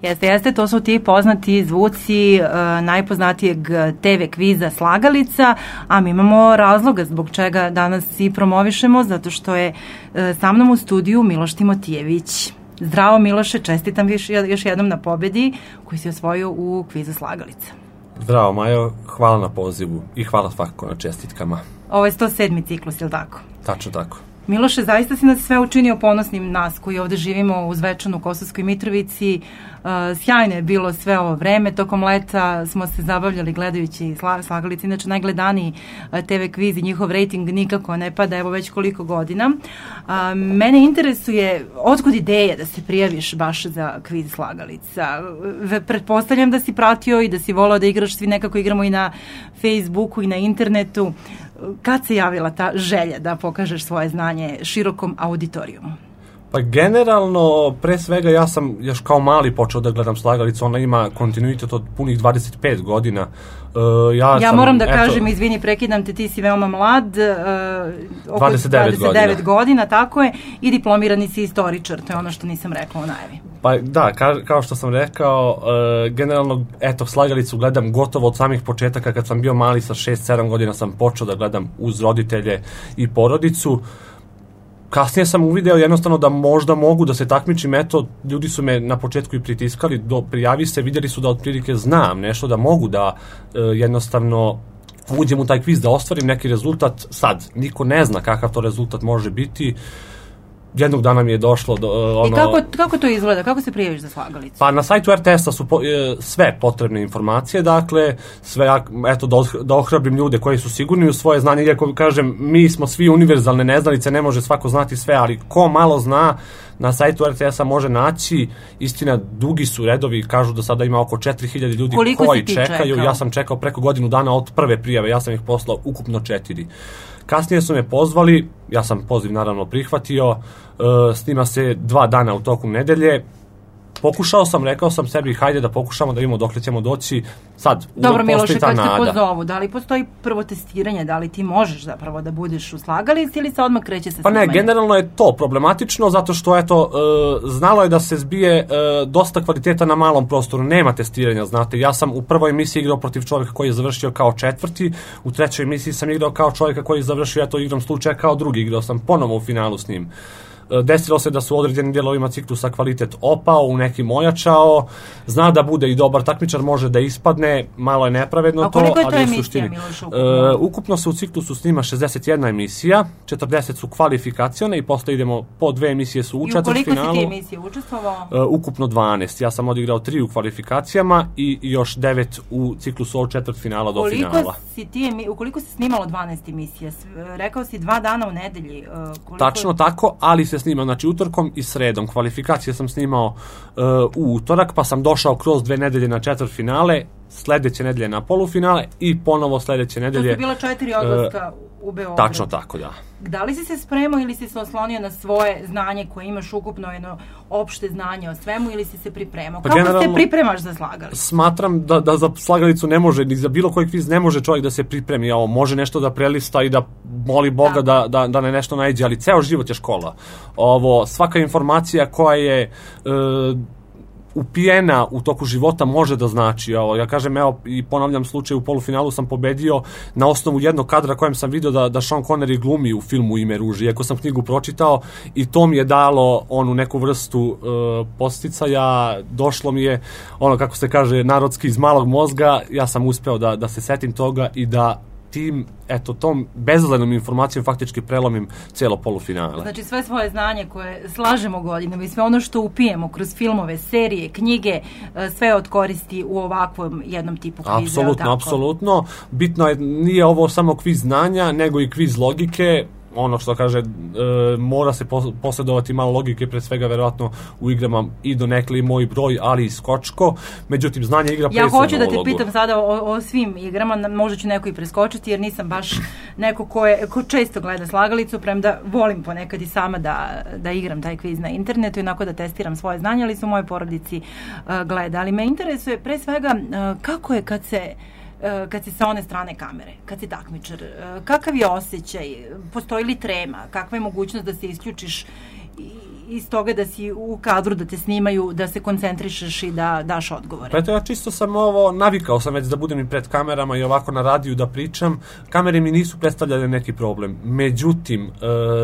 Jeste, to su ti poznati zvuci najpoznatijeg TV kviza Slagalica, a mi imamo razloga zbog čega danas i promovišemo, zato što je sa mnom u studiju Miloš Timotijević. Zdravo Miloše, čestitam još jednom na pobedi koji si osvojio u kvizu Slagalica. Zdravo Majo, hvala na pozivu i hvala svakako na čestitkama. Ovo je 107. ciklus, je li tako? Tačno tako. Miloše, zaista si nas sve učinio ponosnim, nas koji ovde živimo u Zvečanu, Kosovskoj Mitrovici. Sjajno je bilo sve ovo vreme. Tokom leta smo se zabavljali gledajući Slagalice. Inače, najgledaniji TV kviz i njihov rejting nikako ne pada, evo već koliko godina. Mene interesuje otkud ideja da se prijaviš baš za kviz Slagalica. Pretpostavljam da si pratio i da si volao da igraš, svi nekako igramo i na Facebooku i na internetu. Kad se javila ta želja da pokažeš svoje znanje širokom auditorijumu? Pa generalno, pre svega ja sam još kao mali počeo da gledam Slagalicu, ona ima kontinuitet od punih 25 godina. Ja moram da kažem, izvini, prekidam te, ti si veoma mlad, oko 29 godina, tako je, i diplomirani si istoričar, to je ono što nisam rekla u najavi. Pa da, kao što sam rekao, generalno, eto, Slagalicu gledam gotovo od samih početaka, kad sam bio mali sa 6-7 godina sam počeo da gledam uz roditelje i porodicu. Kasnije sam uvideo jednostavno da možda mogu da se takmičim, eto, ljudi su me na početku i pritiskali, prijavi se, vidjeli su da otprilike znam nešto, da mogu da jednostavno uđem u taj kviz, da ostvarim neki rezultat. Sad, niko ne zna kakav to rezultat može biti. Jednog dana mi je došlo do I kako to izgleda? Kako se prijaviš za Slagalicu? Pa na sajtu RTS-a su sve potrebne informacije, dakle, sve, eto, da ohrabrim ljude koji su sigurni u svoje znanje, iako kažem, mi smo svi univerzalne neznalice, ne može svako znati sve, ali ko malo zna, na sajtu RTS-a može naći, istina, dugi su redovi, kažu da sada ima oko 4000 ljudi koji čekaju. Ja sam čekao preko godinu dana od prve prijave, ja sam ih poslao ukupno 4. Kasnije su me pozvali, ja sam poziv naravno prihvatio, snima se 2 dana u toku nedelje. Pokušao sam, rekao sam sebi, hajde da pokušamo da vidimo dokle ćemo doći. Sad, dobro, Miloše, kad te pozovu, da li postoji prvo testiranje, da li ti možeš zapravo da budeš u Slagalici ili se odmah kreće sa snimanjem? Pa ne, generalno je to problematično, zato što, eto, znalo je da se zbije dosta kvaliteta na malom prostoru, nema testiranja, znate. Ja sam u prvoj emisiji igrao protiv čovjeka koji je završio kao 4., u 3. emisiji sam igrao kao čovjeka koji je završio, eto, igram slučaja kao 2., igrao sam ponovo u finalu s njim. Desilo se da su u određenim dijelovima ciklusa kvalitet opao, u nekim ojačao, zna da bude i dobar takmičar, može da ispadne, malo je nepravedno to. A koliko je to emisija, Miloš, ukupno? Ukupno se u ciklusu snima 61 emisija, 40 su kvalifikacione i posle idemo po 2 emisije su u četvrtfinalu. I u koliko si ti emisije učestvovao? Ukupno 12, ja sam odigrao 3 u kvalifikacijama i još 9 u ciklusu od četvrtfinala do finala. Ukoliko se snimalo 12 emisija, rekao si 2 dana u nedelji. Tačno tako, ali se snima, znači utorkom i sredom. Kvalifikacije sam snimao u utorak, pa sam došao kroz 2 nedelje na četvrtfinale, sledeće nedelje na polufinale i ponovo sledeće nedelje. To su bila 4 odlaska u Beograd. Tačno tako, da. Da li si se spremao ili si se oslonio na svoje znanje koje imaš ukupno, jedno opšte znanje o svemu, ili si se pripremao? Pa kako se pripremaš za Slagalicu? Smatram da za Slagalicu ne može, ni za bilo koji kviz ne može čovjek da se pripremi. Ovo može nešto da prelista i da moli Boga da ne nešto naiđe, ali ceo život je škola. Svaka informacija koja je upijena u toku života može da znači. Ja kažem, evo, i ponavljam slučaj, u polufinalu sam pobedio na osnovu jednog kadra kojem sam vidio da Sean Connery glumi u filmu Ime ruže, iako sam knjigu pročitao, i to mi je dalo onu neku vrstu podsticaja, došlo mi je, ono kako se kaže narodski, iz malog mozga, ja sam uspeo da se setim toga i da tom bezazlenom informacijom faktički prelomim cijelo polufinale. Znači sve svoje znanje koje slažemo godinama i sve ono što upijemo kroz filmove, serije, knjige, sve od koristi u ovakvom jednom tipu kviza. Apsolutno. Bitno je, nije ovo samo kviz znanja, nego i kviz logike. Ono što kaže, mora se posjedovati malo logike, pre svega verovatno u igrama i donekle i moj broj, ali i skočko. Međutim, znanje igra presudnu ulogu. Ja hoću da te pitam sada o svim igrama, možda ću neko i preskočiti, jer nisam baš neko ko često gleda Slagalicu, premda volim ponekad i sama da igram taj kviz na internetu i onako da testiram svoje znanje, ali su u mojoj porodici gleda. Ali me interesuje pre svega kako je kad si sa one strane kamere, kad si takmičar, kakav je osjećaj, postoji li trema, kakva je mogućnost da se isključiš iz toga da si u kadru, da te snimaju, da se koncentrišeš i da daš odgovore? Pa eto, ja čisto sam navikao sam već da budem i pred kamerama i ovako na radiju da pričam. Kamere mi nisu predstavljale neki problem. Međutim,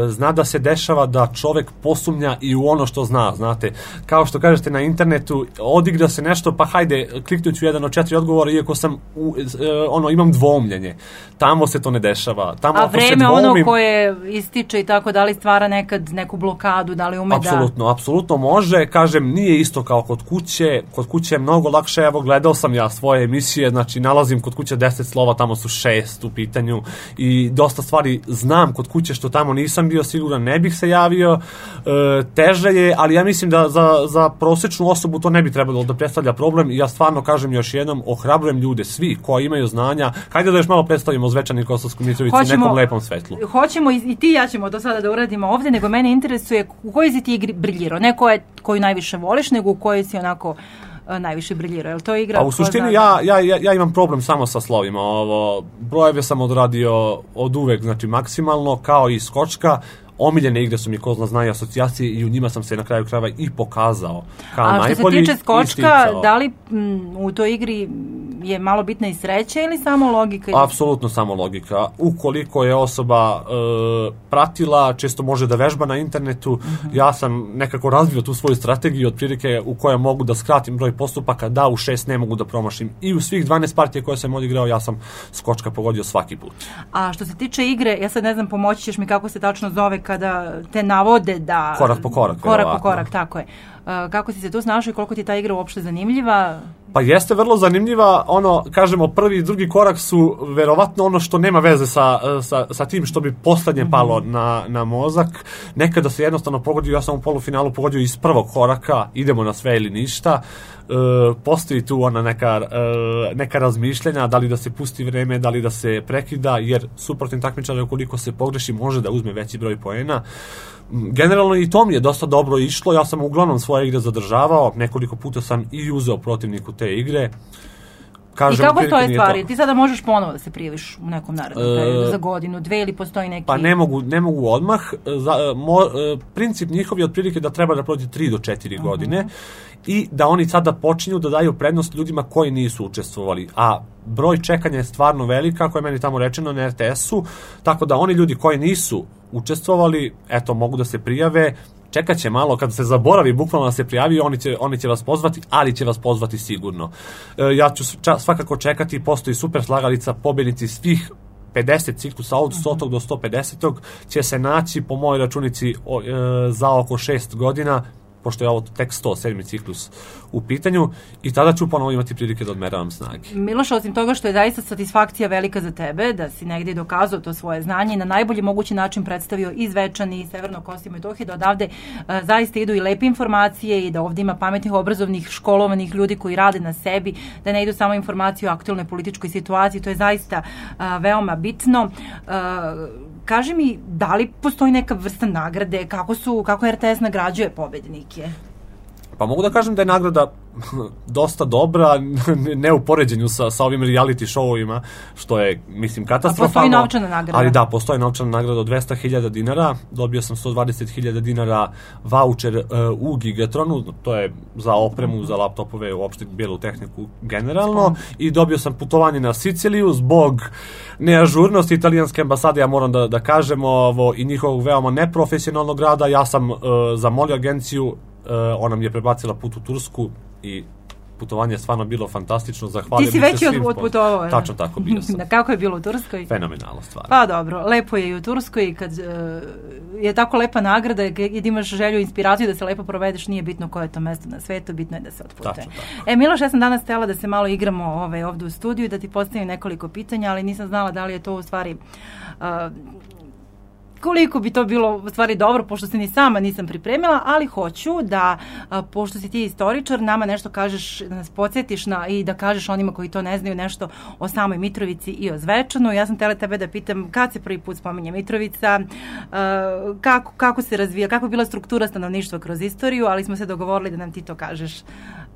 zna da se dešava da čovek posumnja i u ono što zna, znate. Kao što kažete na internetu, odigra se nešto, pa hajde, kliknut ću jedan od 4 odgovora, iako sam, imam dvoumljenje. Tamo se to ne dešava. Tamo, a vreme ono koje ističe i tako, da li stvara nekad neku blokadu, da li ume Apsolutno može, kažem, nije isto kao kod kuće je mnogo lakše, evo gledao sam ja svoje emisije, znači nalazim kod kuće 10 slova, tamo su 6 u pitanju i dosta stvari znam kod kuće što tamo nisam bio siguran, ne bih se javio, teže je, ali ja mislim da za prosečnu osobu to ne bi trebalo da predstavlja problem i ja stvarno kažem još jednom, ohrabrujem ljude, svi koji imaju znanja, hajde da još malo predstavimo Zvečan i Kosovsku Mitrovicu u nekom lepom svetlu. Hoćemo i ti ja ćemo to sada da uradimo ovde, nego mene interesuje u kojoj si ti igri briljirao, ne koju najviše voliš, nego u kojoj si onako najviše briljirao. Je li to igra? A u suštini ja imam problem samo sa slovima. Brojeve sam odradio od uvek, znači maksimalno, kao i skočka. Omiljene igre su mi ko zna i asocijacije i u njima sam se na kraju krajeva i pokazao kao najbolji. A što se tiče skočka, da li u toj igri je malo bitna i sreća ili samo logika? Apsolutno samo logika. Ukoliko je osoba pratila, često može da vežba na internetu, ja sam nekako razvio tu svoju strategiju otprilike u kojoj mogu da skratim broj postupaka, da u 6 ne mogu da promašim. I u svih 12 partije koje sam odigrao, ja sam skočka pogodio svaki put. A što se tiče igre, ja sad ne znam, pomoći ćeš mi kako se tačno zove kada te navode da... Korak po korak, tako je. Kako si se tu snašao i koliko ti ta igra uopšte zanimljiva? Pa jeste vrlo zanimljiva, kažemo, prvi i drugi korak su verovatno ono što nema veze sa tim što bi poslednje palo na mozak. Nekada se jednostavno pogodio, ja sam u polufinalu pogodio iz prvog koraka, idemo na sve ili ništa. Postoji tu neka razmišljenja, da li da se pusti vreme, da li da se prekida, jer suprotni takmičar ukoliko se pogreši može da uzme veći broj poena. Generalno i to mi je dosta dobro išlo, ja sam uglavnom svoje igre zadržavao, nekoliko puta sam i uzeo protivniku te igre. Kažem, i kako stoje stvari? Ti sada možeš ponovo da se prijaviš u nekom narednom periodu, za godinu, 2 ili postoji neki... Pa ne mogu odmah. Princip njihov je otprilike da treba da prođe 3 do 4 godine i da oni sada počinju da daju prednost ljudima koji nisu učestvovali. A broj čekanja je stvarno velik, kako je meni tamo rečeno na RTS-u, tako da oni ljudi koji nisu učestvovali, eto, mogu da se prijave, čekat će malo, kad se zaboravi bukvalno da se prijavi, oni će vas pozvati, ali će vas pozvati sigurno. Ja ću svakako čekati, postoji super slagalica, pobjednici svih 50 ciklusa od 100. do 150. će se naći po mojoj računici za oko 6 godina, pošto je ovo tek 107. ciklus u pitanju i tada ću ponovo imati prilike da odmeravam snage. Miloš, osim toga što je zaista satisfakcija velika za tebe, da si negdje dokazao to svoje znanje i na najbolji mogući način predstavio i Zvečan i Severno Kosovo i Metohiju, da odavde zaista idu i lepe informacije i da ovdje ima pametnih, obrazovnih, školovanih ljudi koji rade na sebi, da ne idu samo informacije o aktualnoj političkoj situaciji, to je zaista veoma bitno. Kaži mi, da li postoji neka vrsta nagrade, kako RTS nagrađuje pobednike? Pa mogu da kažem da je nagrada dosta dobra, ne u poređenju sa ovim reality showovima, što je, mislim, katastrofalno. A postoji novčana nagrada? Ali da, postoji novčana nagrada od 200.000 dinara, dobio sam 120.000 dinara voucher u Gigatronu, to je za opremu, za laptopove, uopšte bijelu tehniku generalno, i dobio sam putovanje na Siciliju zbog neažurnosti italijanske ambasade, ja moram da kažem, i njihovog veoma neprofesionalnog rada. Ja sam zamolio agenciju, ona mi je prebacila put u Tursku i putovanje je stvarno bilo fantastično. Zahvaljujem. Ti si već odputovao. Tačno tako, bio sam. Kako je bilo u Turskoj? Fenomenalno stvar. Pa dobro, lepo je i u Turskoj, kad je tako lepa nagrada i da imaš želju i inspiraciju da se lepo provedeš, nije bitno koje je to mesto na svetu, bitno je da se otputuje. Miloš, ja sam danas htjela da se malo igramo ovdje u studiju i da ti postavim nekoliko pitanja, ali nisam znala da li je to u stvari... koliko bi to bilo u stvari dobro, pošto se ni sama nisam pripremila, ali hoću da, pošto si ti istoričar, nama nešto kažeš, da nas podsjetiš i da kažeš onima koji to ne znaju nešto o samoj Mitrovici i o Zvečanu. Ja sam htjela tebe da pitam kad se prvi put spominje Mitrovica, kako se razvija, kako je bila struktura stanovništva kroz istoriju, ali smo se dogovorili da nam ti to kažeš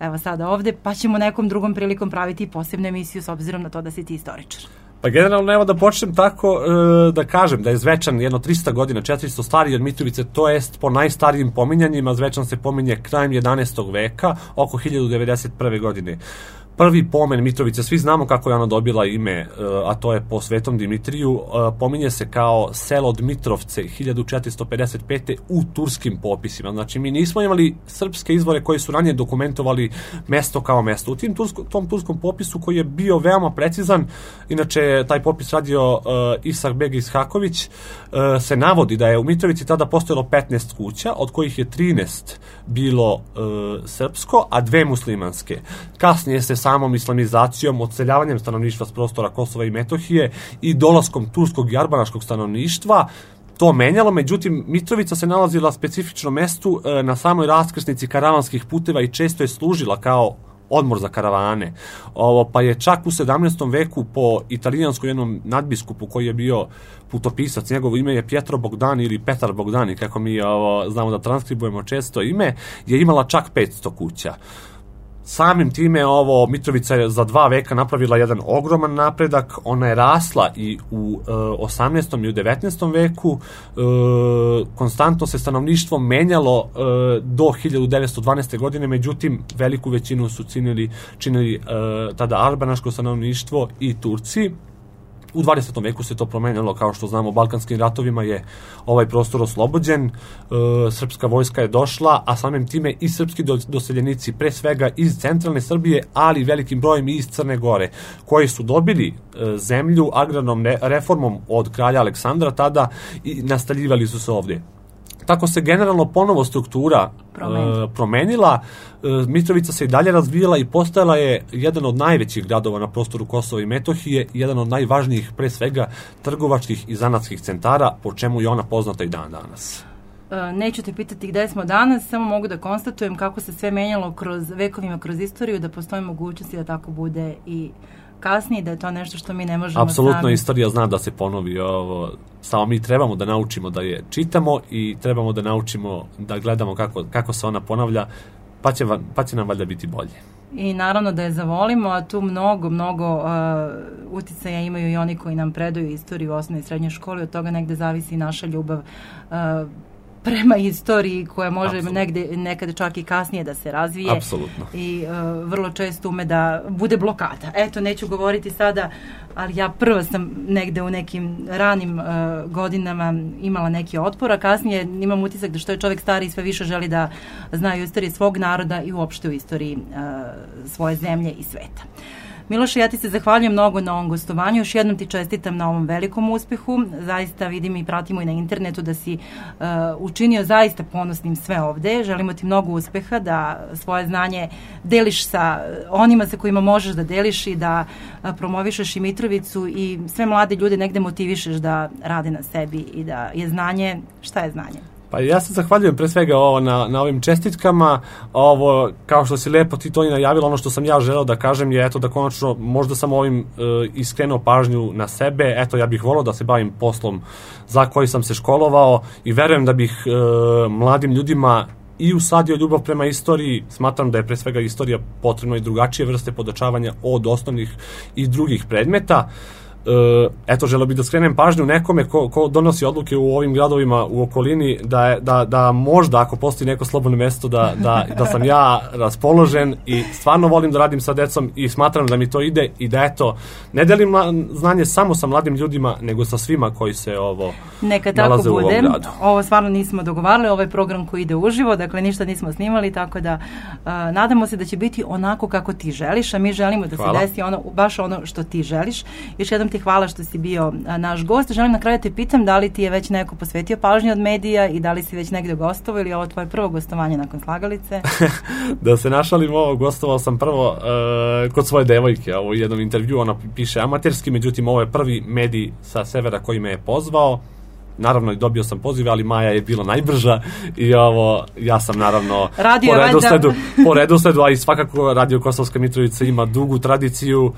evo sada ovdje, pa ćemo nekom drugom prilikom praviti posebnu emisiju s obzirom na to da si ti istoričar. Pa generalno, evo da počnem tako da kažem da je Zvečan jedno 300 godina, 400 stariji od Mitrovice, to jest po najstarijim pominjanjima, Zvečan se pominje krajem 11. veka, oko 1091. godine. Prvi pomen Mitrovice, svi znamo kako je ona dobila ime, a to je po Svetom Dimitriju, pominje se kao selo Dmitrovce 1455. u turskim popisima. Znači, mi nismo imali srpske izvore koji su ranije dokumentovali mesto kao mesto. U tom turskom popisu, koji je bio veoma precizan, inače taj popis radio Isak Beg Ishaković, se navodi da je u Mitrovici tada postojalo 15 kuća, od kojih je 13 bilo srpsko, a 2 muslimanske. Kasnije se samom islamizacijom, odseljavanjem stanovništva s prostora Kosova i Metohije i dolaskom turskog i arbanaškog stanovništva to menjalo, međutim Mitrovica se nalazila na specifičnom mestu na samoj raskrsnici karavanskih puteva i često je služila kao odmor za karavane. Pa je čak u 17. veku po italijanskom jednom nadbiskupu koji je bio putopisac, njegovo ime je Pietro Bogdani ili Petar Bogdani, kako mi znamo da transkribujemo često ime, je imala čak 500 kuća. Samim time Mitrovica je za 2 veka napravila jedan ogroman napredak, ona je rasla i u 18. i u 19. veku, konstantno se stanovništvo menjalo do 1912. godine, međutim veliku većinu su činili tada arbanaško stanovništvo i Turci. U 20. veku se to promenilo, kao što znamo, Balkanskim ratovima je ovaj prostor oslobođen, srpska vojska je došla, a samim time i srpski doseljenici, pre svega iz centralne Srbije, ali velikim brojem i iz Crne Gore, koji su dobili zemlju agrarnom reformom od kralja Aleksandra tada i nastaljivali su se ovdje. Tako se generalno ponovo struktura promenila, Mitrovica se i dalje razvijala i postajala je jedan od najvećih gradova na prostoru Kosova i Metohije, jedan od najvažnijih, pre svega, trgovačkih i zanatskih centara, po čemu je ona poznata i dan danas. Neću te pitati gde smo danas, samo mogu da konstatujem kako se sve menjalo vekovima kroz istoriju, da postoji mogućnosti da tako bude i kasnije, da je to nešto što mi ne možemo Apsolutno, istorija zna da se ponovi, samo mi trebamo da naučimo da je čitamo i trebamo da naučimo da gledamo kako se ona ponavlja, pa će nam valjda biti bolje. I naravno da je zavolimo, a tu mnogo uticaja imaju i oni koji nam predaju istoriju u osnovnoj i srednjoj školi, od toga negde zavisi i naša ljubav prema istoriji, koja može nekada čak i kasnije da se razvije. Apsolutno. I vrlo često ume da bude blokada. Eto, neću govoriti sada, ali ja prva sam negde u nekim ranim godinama imala neki otpor, a kasnije imam utisak da što je čovjek stariji sve više želi da zna i istoriju svog naroda i uopšte u istoriji svoje zemlje i sveta. Miloše, ja ti se zahvaljujem mnogo na ovom gostovanju, još jednom ti čestitam na ovom velikom uspehu, zaista vidim i pratimo i na internetu da si učinio zaista ponosnim sve ovde, želimo ti mnogo uspeha, da svoje znanje deliš sa onima sa kojima možeš da deliš i da promovišeš i Mitrovicu i sve mlade ljude negde motivišeš da rade na sebi i da je znanje, šta je znanje? Pa ja se zahvaljujem pre svega na ovim čestitkama, kao što si lepo ti to i najavila, ono što sam ja želeo da kažem je da konačno možda sam ovim iskrenuo pažnju na sebe, ja bih volao da se bavim poslom za koji sam se školovao i verujem da bih mladim ljudima i usadio ljubav prema istoriji. Smatram da je pre svega istorija potrebno i drugačije vrste podučavanja od osnovnih i drugih predmeta. Želeo bih da skrenem pažnju nekome ko donosi odluke u ovim gradovima u okolini, da možda ako postoji neko slobodno mesto da sam ja raspoložen i stvarno volim da radim sa decom i smatram da mi to ide i da ne delim znanje samo sa mladim ljudima, nego sa svima koji se nalaze u ovom gradu. Ovo stvarno nismo dogovarali, ovo je program koji ide uživo, dakle ništa nismo snimali, tako da nadamo se da će biti onako kako ti želiš, a mi želimo da se desi baš ono što ti želiš. Još jednom ti hvala što si bio naš gost. Želim na kraju te pitam da li ti je već neko posvetio pažnju od medija i da li si već negde gostovao ili je ovo tvoje prvo gostovanje nakon Slagalice? Da se našalim, gostovao sam prvo kod svoje devojke u jednom intervju, ona piše amaterski, međutim ovo je prvi medij sa severa koji me je pozvao. Naravno, dobio sam poziv, ali Maja je bila najbrža i ja sam naravno po redosledu, a i svakako Radio Kosovska Mitrovica ima dugu tradiciju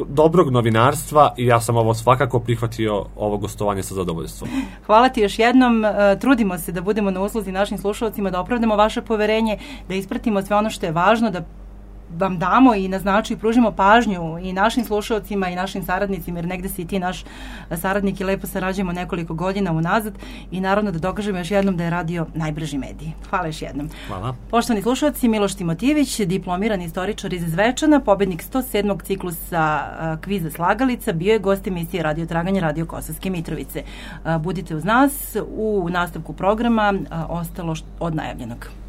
dobrog novinarstva i ja sam svakako prihvatio ovo gostovanje sa zadovoljstvom. Hvala ti još jednom, trudimo se da budemo na usluzi našim slušalcima, da opravdamo vaše poverenje, da ispratimo sve ono što je važno, da vam damo i naznaču i pružimo pažnju i našim slušalcima i našim saradnicima, jer negde si i ti naš saradnik i lepo sarađujemo nekoliko godina unazad i naravno da dokažemo još jednom da je radio najbrži medij. Hvala još jednom. Hvala. Poštovani slušalci, Miloš Timotijević, diplomirani istoričar iz Zvečana, pobednik 107. ciklusa kviza Slagalica, bio je gost emisije Radio Traganje, Radio Kosovske Mitrovice. Budite uz nas u nastavku programa, ostalo od najavljenog.